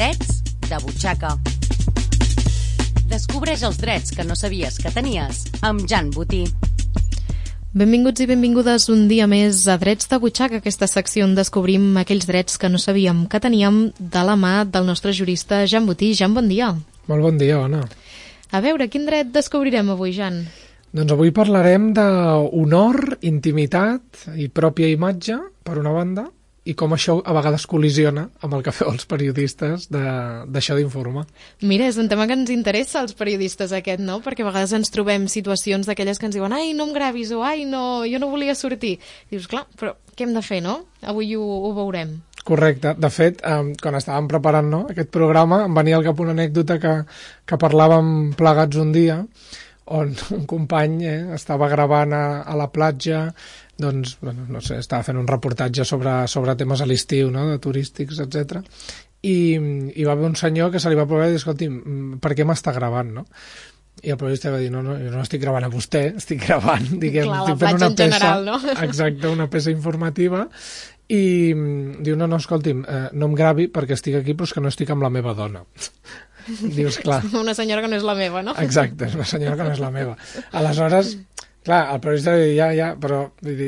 Drets de butxaca. Descobreix els drets que no sabies que tenies amb Jan Botí. Benvinguts i benvingudes un dia més a Drets de butxaca, aquesta secció on descobrim aquells drets que no sabíem que teníem de la mà del nostre jurista Jan Botí. Jan, bon dia. Molt bon dia, Ona. A veure, quin dret descobrirem avui, Jan? Doncs avui parlarem d'honor, intimitat i pròpia imatge, per una banda, i com això a vegades col·lisiona amb el que feu els periodistes d'això d'informar. Mira, és un tema que ens interessa als periodistes aquest, no? Perquè a vegades ens trobem situacions d'aquelles que ens diuen ai, no em gravis, o ai, no, jo no volia sortir. I dius, clar, però què hem de fer, no? Avui ho veurem. Correcte. De fet, quan estàvem preparant aquest programa, em venia al cap una anècdota que parlàvem plegats un dia, on un company estava gravant a la platja, doncs, no sé, estava fent un reportatge sobre temes a l'estiu, no?, de turístics, etc. I va haver un senyor que se li va provar i dir, escolti, per què m'està gravant, no? I el periodista va dir, no, jo no estic gravant a vostè, estic gravant, diguem, clar, estic fent una peça, general, no? Exacte, una peça informativa, i diu, no, escolti'm, no em gravi perquè estic aquí, però és que no estic amb la meva dona. Dius, clar. Una senyora que no és la meva, no? Exacte, és una senyora que no és la meva. Aleshores, clar, el periodista va dir, ja, però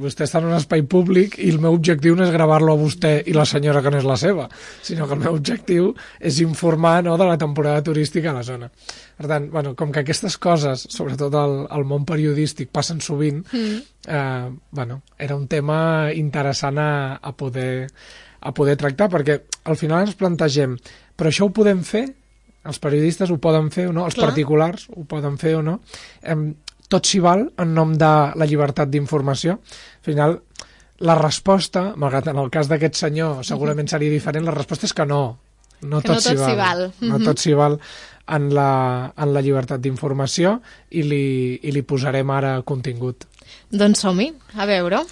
vostè està en un espai públic i el meu objectiu no és gravar-lo a vostè i la senyora que no és la seva, sinó que el meu objectiu és informar, no, de la temporada turística a la zona. Per tant, com que aquestes coses, sobretot al món periodístic, passen sovint, era un tema interessant a poder tractar, perquè al final ens plantegem, però això ho podem fer? Els periodistes ho poden fer o no? Els particulars ho poden fer o no? Tot s'hi val en nom de la llibertat d'informació. Al final, la resposta, malgrat en el cas d'aquest senyor segurament seria diferent, la resposta és que no. No tot s'hi val. No tot s'hi val en la llibertat d'informació i li posarem ara contingut. Doncs som-hi, a veure.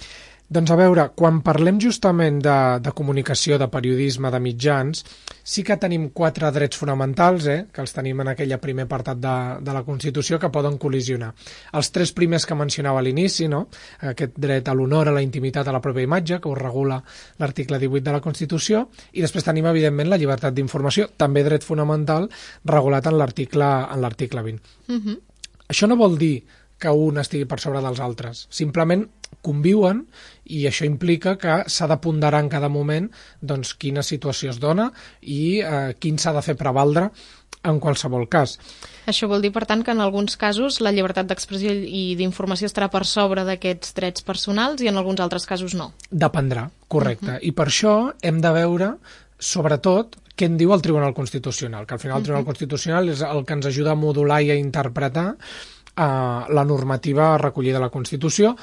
Doncs a veure, quan parlem justament de comunicació, de periodisme, de mitjans, sí que tenim 4 drets fonamentals, que els tenim en aquell primer apartat de la Constitució, que poden col·lisionar. Els 3 primers que mencionava a l'inici, no? Aquest dret a l'honor, a la intimitat, a la pròpia imatge, que ho regula l'article 18 de la Constitució, i després tenim, evidentment, la llibertat d'informació, també dret fonamental, regulat en l'article 20. Això no vol dir que un estigui per sobre dels altres. Simplement conviuen i això implica que s'ha de ponderar en cada moment doncs, quina situació es dona i quin s'ha de fer prevaldre en qualsevol cas. Això vol dir, per tant, que en alguns casos la llibertat d'expressió i d'informació estarà per sobre d'aquests drets personals i en alguns altres casos no. Dependrà, correcte. I per això hem de veure, sobretot, què en diu el Tribunal Constitucional, que al final el Tribunal Constitucional és el que ens ajuda a modular i a interpretar la normativa recollida a la Constitució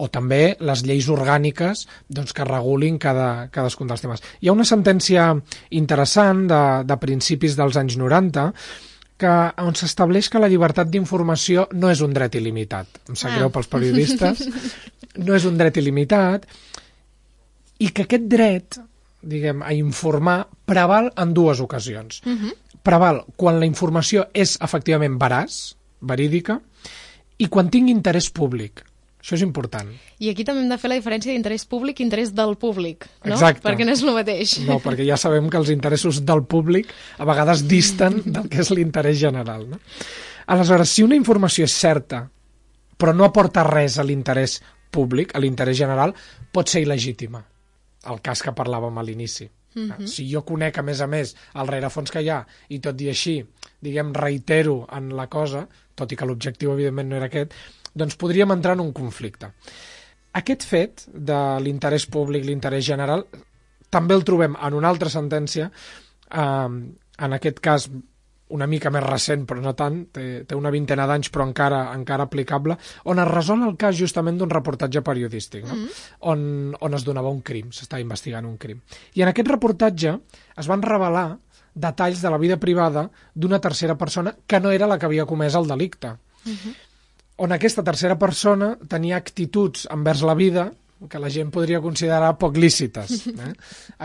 o també les lleis orgàniques doncs, que regulin cadascun dels temes. Hi ha una sentència interessant de principis dels anys 90 on s'estableix que la llibertat d'informació no és un dret il·limitat. Em sap greu pels periodistes. No és un dret il·limitat i que aquest dret, diguem, a informar preval en 2 ocasions. Preval quan la informació és efectivament veraç, verídica, i quan tingui interès públic. Això és important. I aquí també hem de fer la diferència d'interès públic i interès del públic, no? Exacte. Perquè no és el mateix. No, perquè ja sabem que els interessos del públic a vegades disten del que és l'interès general, no? Aleshores, si una informació és certa, però no aporta res a l'interès públic, a l'interès general, pot ser il·legítima. El cas que parlàvem a l'inici. Si jo conec, a més, el rerefons que hi ha, i tot i així, diguem, reitero en la cosa, tot i que l'objectiu, evidentment, no era aquest, doncs podríem entrar en un conflicte. Aquest fet de l'interès públic, l'interès general, també el trobem en una altra sentència, en aquest cas una mica més recent, però no tant, té una vintena d'anys, però encara aplicable, on es resol el cas justament d'un reportatge periodístic, no? On es donava un crim, s'estava investigant un crim. I en aquest reportatge es van revelar detalls de la vida privada d'una tercera persona que no era la que havia comès el delicte. On aquesta tercera persona tenia actituds envers la vida que la gent podria considerar poc lícites.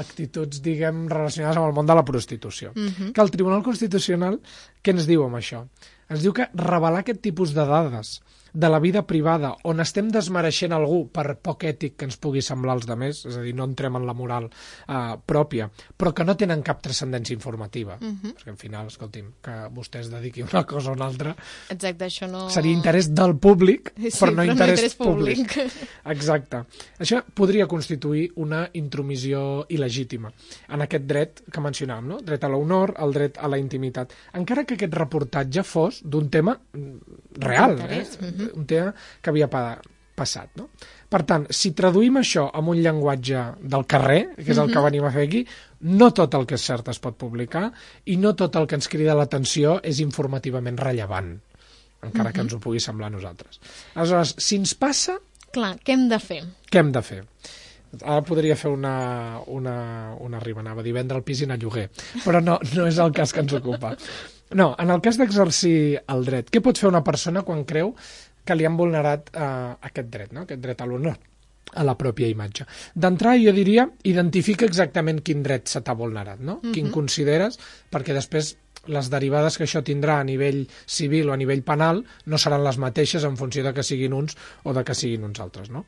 Actituds, diguem, relacionades amb el món de la prostitució. Que el Tribunal Constitucional, què ens diu amb això? Ens diu que revelar aquest tipus de dades de la vida privada, on estem desmereixent algú per poc ètic que ens pugui semblar als demés, és a dir, no entrem en la moral pròpia, però que no tenen cap transcendència informativa. Perquè al final, escolti'm, que vostè es dediqui a una cosa o una altra... Exacte, això no... Seria interès del públic, sí, però no interès públic. Exacte. Això podria constituir una intromissió il·legítima en aquest dret que mencionàvem, no? Dret a l'honor, el dret a la intimitat. Encara que aquest reportatge fos d'un tema real, un tema que havia passat, no? Per tant, si traduïm això amb un llenguatge del carrer, que és el que venim a fer aquí, no tot el que és cert es pot publicar i no tot el que ens crida l'atenció és informativament rellevant, encara que ens ho pugui semblar a nosaltres. Aleshores, si ens passa... Clar, què hem de fer? Què hem de fer? Ara podria fer una rima, anava a dir vendre el pis i anar a lloguer, però no és el cas que ens ocupa. No, en el cas d'exercir el dret, què pot fer una persona quan creu que li han vulnerat aquest dret, no? Aquest dret a l'honor, a la pròpia imatge? D'entrada, jo diria, identifica exactament quin dret se t'ha vulnerat, no? Quin consideres, perquè després les derivades que això tindrà a nivell civil o a nivell penal no seran les mateixes en funció de que siguin uns o de que siguin uns altres, no?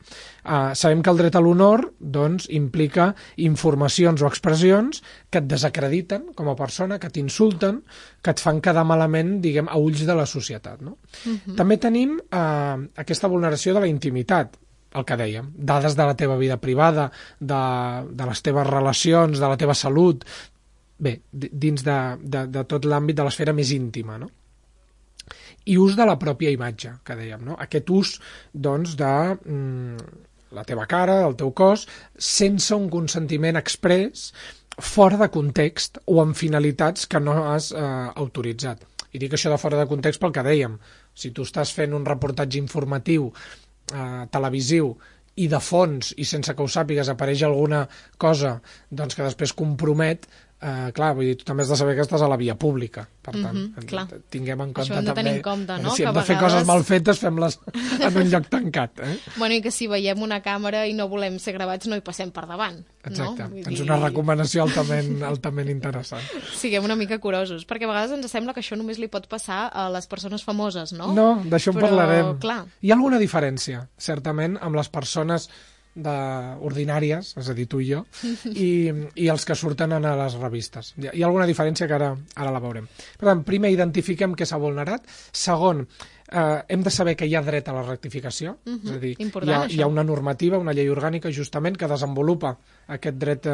Sabem que el dret a l'honor, doncs, implica informacions o expressions que et desacrediten com a persona, que t'insulten, que et fan quedar malament, diguem, a ulls de la societat, no? També tenim aquesta vulneració de la intimitat, el que dèiem, dades de la teva vida privada, de les teves relacions, de la teva salut, bé, dins de tot l'àmbit de l'esfera més íntima, no? I ús de la pròpia imatge, que dèiem, no? Aquest ús, doncs, de la teva cara, del teu cos, sense un consentiment exprés, fora de context o amb finalitats que no has autoritzat. I dic això de fora de context pel que dèiem. Si tu estàs fent un reportatge informatiu televisiu i de fons, i sense que ho sàpigues, apareix alguna cosa doncs, que després compromet, clar, vull dir, tu també has de saber que estàs a la via pública, per tant, tinguem en compte també... tenir en compte, no? Si hem de fer coses mal fetes, fem-les en un lloc tancat. Bueno, i que si veiem una càmera i no volem ser gravats, no hi passem per davant. Exacte, és una recomanació altament interessant. Siguem una mica curosos, perquè a vegades ens sembla que això només li pot passar a les persones famoses, no? No, d'això en parlarem. Clar. Hi ha alguna diferència, certament, amb les persones ordinàries, és a dir, tu i jo, i els que surten a les revistes. Hi ha alguna diferència que ara la veurem. Per tant, primer identifiquem què s'ha vulnerat. Segon, hem de saber que hi ha dret a la rectificació, és a dir, hi ha una normativa, una llei orgànica, justament, que desenvolupa aquest dret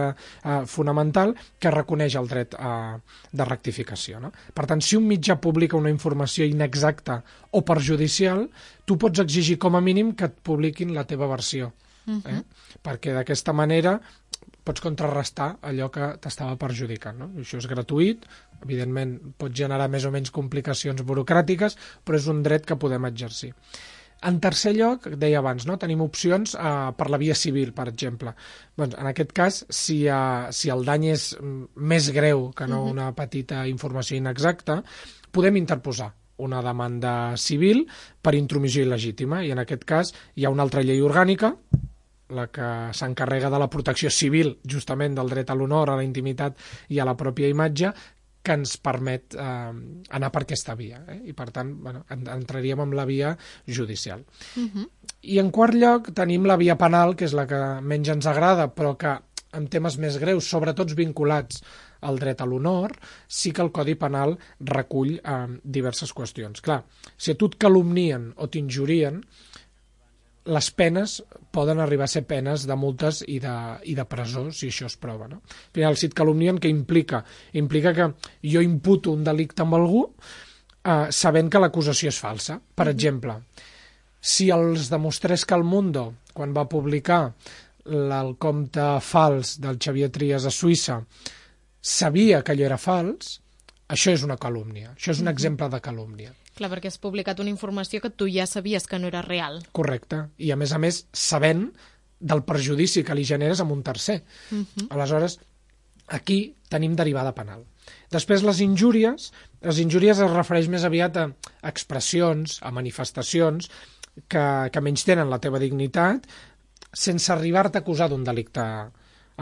fonamental que reconeix el dret de rectificació, no? Per tant, si un mitjà publica una informació inexacta o perjudicial, tu pots exigir com a mínim que et publiquin la teva versió. Perquè d'aquesta manera pots contrarrestar allò que t'estava perjudicant, no? Això és gratuït, evidentment pot generar més o menys complicacions burocràtiques, però és un dret que podem exercir. En tercer lloc, deia abans, no? Tenim opcions per la via civil, per exemple. Doncs, en aquest cas, si el dany és més greu que no una petita informació inexacta, podem interposar una demanda civil per intromissió il·legítima, i en aquest cas hi ha una altra llei orgànica, la que s'encarrega de la protecció civil, justament del dret a l'honor, a la intimitat i a la pròpia imatge, que ens permet anar per aquesta via. I, per tant, entraríem en la via judicial. I, en quart lloc, tenim la via penal, que és la que menys ens agrada, però que, en temes més greus, sobretot vinculats al dret a l'honor, sí que el Codi Penal recull diverses qüestions. Clar, si a tu et calumnien o t'injurien, les penes poden arribar a ser penes de multes i de presó, si això es prova, no? Al final, si et calumnien, què implica? Implica que jo imputo un delicte amb algú sabent que l'acusació és falsa. Per exemple, si els demostrés que el Mundo, quan va publicar el compte fals del Xavier Trias a Suïssa, sabia que allò era fals, això és una calúmnia, això és un exemple de calúmnia. Clar, perquè has publicat una informació que tu ja sabies que no era real. Correcte, i a més, sabent del perjudici que li generes a un tercer. Aleshores, aquí tenim derivada penal. Després, les injúries es refereix més aviat a expressions, a manifestacions que menys tenen la teva dignitat, sense arribar-te a acusar d'un delicte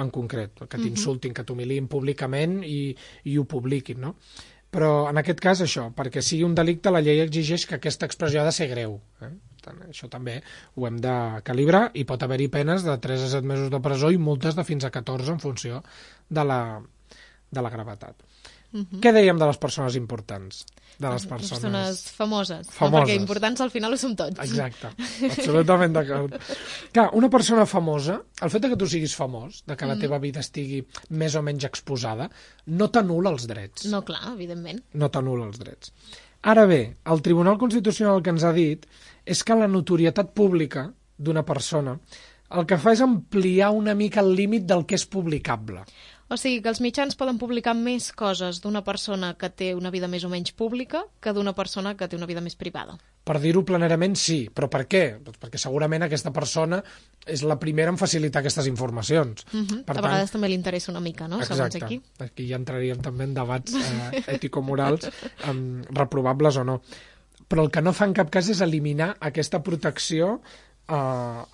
en concret, que t'insultin, que t'humiliïn públicament i ho publiquin, no? Però en aquest cas això, perquè sigui un delicte, la llei exigeix que aquesta expressió ha de ser greu. Això també ho hem de calibrar i pot haver-hi penes de 3 a 7 mesos de presó i multes de fins a 14 en funció de la gravetat. Què dèiem de les persones importants? De les persones famoses. famoses. No, perquè importants al final ho som tots. Exacte, absolutament d'acord. Clar, una persona famosa, el fet que tu siguis famós, de que la teva vida estigui més o menys exposada, no t'anul·la els drets. No, clar, evidentment. No t'anul·la els drets. Ara bé, el Tribunal Constitucional el que ens ha dit és que la notorietat pública d'una persona el que fa és ampliar una mica el límit del que és publicable. O sigui, que els mitjans poden publicar més coses d'una persona que té una vida més o menys pública que d'una persona que té una vida més privada. Per dir-ho planerament, sí. Però per què? Perquè segurament aquesta persona és la primera en facilitar aquestes informacions. Per A vegades també li interessa una mica, no? Segons aquí. Aquí ja entraríem també en debats ètico-morals reprovables o no. Però el que no fa en cap cas és eliminar aquesta protecció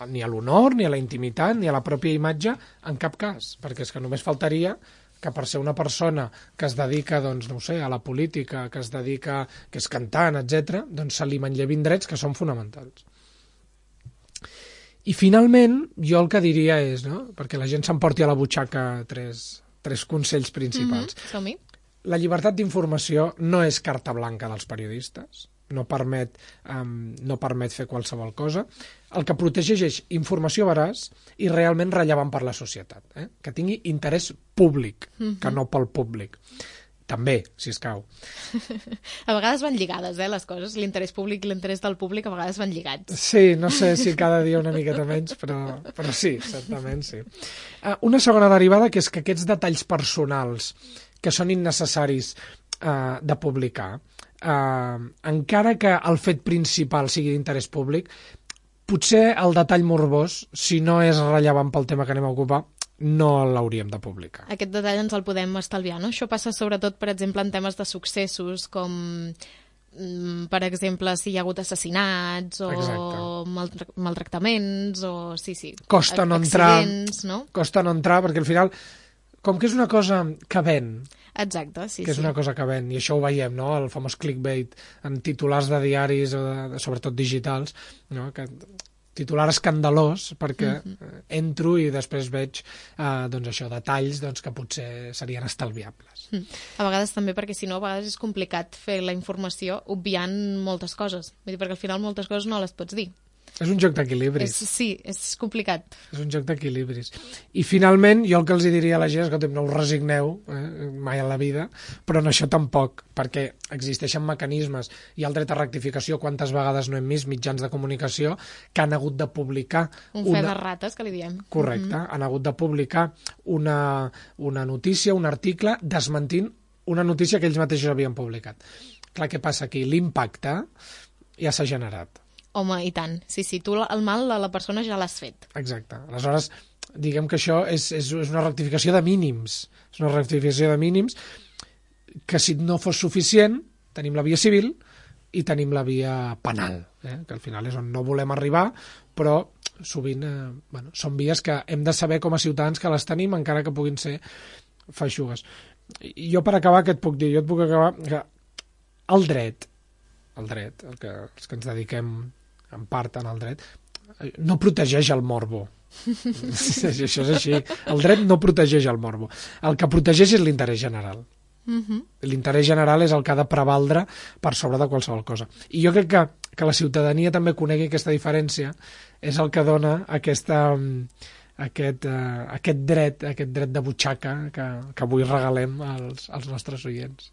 ni a l'honor, ni a la intimitat, ni a la pròpia imatge, en cap cas, perquè és que només faltaria que per ser una persona que es dedica, doncs, no ho sé, a la política, que es dedica, que és cantant, etc., doncs se li manllevin drets que són fonamentals. I finalment, jo el que diria és, no?, perquè la gent s'emporti a la butxaca tres consells principals. Som-hi. La llibertat d'informació no és carta blanca dels periodistes, no permet fer qualsevol cosa. El que protegeix és informació veraç i realment rellevant per la societat, que tingui interès públic, que no pel públic. També, si escau. A vegades van lligades, les coses. L'interès públic i l'interès del públic a vegades van lligats. Sí, no sé si cada dia una miqueta menys, però sí, certament sí. Una segona derivada, que és que aquests detalls personals que són innecessaris de publicar, encara que el fet principal sigui d'interès públic, potser el detall morbós, si no és rellevant pel tema que anem a ocupar, no l'hauríem de publicar. Aquest detall ens el podem estalviar, no? Això passa sobretot, per exemple, en temes de successos, com, per exemple, si hi ha hagut assassinats o maltractaments o, costa no accidents, no? Costa no entrar, perquè al final, com que és una cosa que ven, exacte, que és una cosa que ven, i això ho veiem, no?, el famós clickbait en titulars de diaris, sobretot digitals, no?, que titular escandalós, perquè entro i després veig doncs això, detalls doncs, que potser serien estalviables. A vegades també perquè si no a vegades és complicat fer la informació obviant moltes coses, vull dir, perquè al final moltes coses no les pots dir. És un joc d'equilibris. Sí, és complicat. És un joc d'equilibris. I finalment, jo el que els diria a la gent és que no us resigneu mai a la vida, però en això tampoc, perquè existeixen mecanismes. Hi ha el dret a rectificació, quantes vegades no hem vist mitjans de comunicació que han hagut de publicar... Un fe de rates, que li diem. Correcte, han hagut de publicar una notícia, un article, desmentint una notícia que ells mateixos havien publicat. Clar, què passa aquí? L'impacte ja s'ha generat. Home, i tant. Sí, tu el mal a la persona ja l'has fet. Exacte. Aleshores, diguem que això és una rectificació de mínims. És una rectificació de mínims que, si no fos suficient, tenim la via civil i tenim la via penal, que al final és on no volem arribar, però sovint són vies que hem de saber com a ciutadans que les tenim, encara que puguin ser feixugues. I jo, per acabar, què et puc dir? Jo et puc acabar que el dret, els que ens dediquem en part en el dret, no protegeix el morbo. Això és així. El dret no protegeix el morbo. El que protegeix és l'interès general. L'interès general és el que ha de prevaldre per sobre de qualsevol cosa. I jo crec que la ciutadania també conegui aquesta diferència, és el que dona aquest dret de butxaca que avui regalem als nostres oients.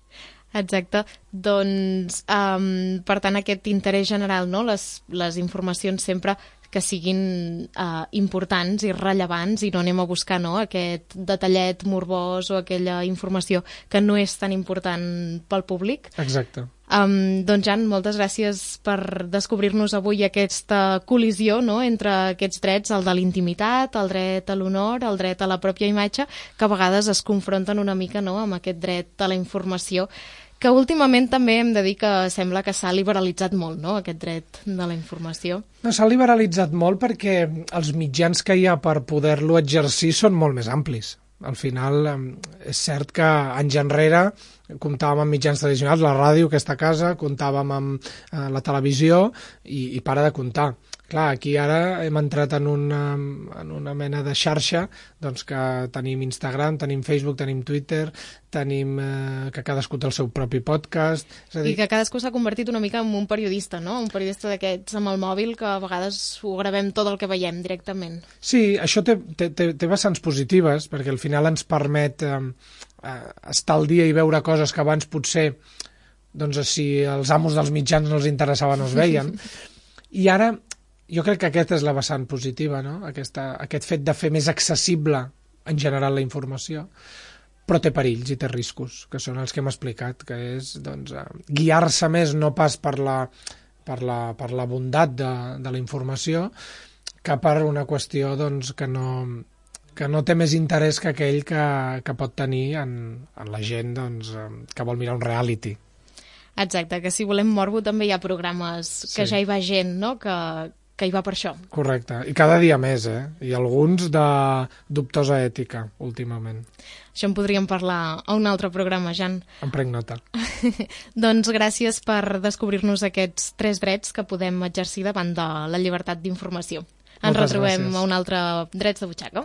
Exacte. Doncs, per tant, aquest interès general, no? Les informacions sempre que siguin importants i rellevants i no anem a buscar aquest detallet morbós o aquella informació que no és tan important pel públic. Exacte. Doncs, Jan, moltes gràcies per descobrir-nos avui aquesta col·lisió, no?, entre aquests drets, el de l'intimitat, el dret a l'honor, el dret a la pròpia imatge, que a vegades es confronten una mica, no?, amb aquest dret a la informació, que últimament també hem de dir que sembla que s'ha liberalitzat molt, no?, aquest dret de la informació. No, s'ha liberalitzat molt perquè els mitjans que hi ha per poder-lo exercir són molt més amplis. al final és cert que anys enrere comptàvem amb mitjans tradicionals, la ràdio, aquesta casa, comptàvem amb la televisió i para de comptar. Clar, aquí ara hem entrat en una mena de xarxa, doncs que tenim Instagram, tenim Facebook, tenim Twitter, tenim que cadascú té el seu propi podcast... És a dir... I que cadascú s'ha convertit una mica en un periodista, no? Un periodista d'aquests amb el mòbil que a vegades ho gravem tot el que veiem directament. Sí, això té vessants positives, perquè al final ens permet estar al dia i veure coses que abans potser, doncs, si els amos dels mitjans no els interessaven no es veien. I ara jo crec que aquesta és la vessant positiva, no? Aquest fet de fer més accessible en general la informació, però té perills i té riscos, que són els que hem explicat, que és doncs, guiar-se més no pas per la bondat de la informació, que per una qüestió doncs, que no té més interès que aquell que pot tenir en la gent doncs, que vol mirar un reality. Exacte, que si volem morbo també hi ha programes que ja hi va gent, no?, que hi va per això. Correcte, i cada dia més, i alguns de dubtosa ètica, últimament. Això en podríem parlar a un altre programa, Jan. En prenc nota. Doncs gràcies per descobrir-nos aquests 3 drets que podem exercir davant de la llibertat d'informació. Ens retrobem a un altre Drets de Butxaca.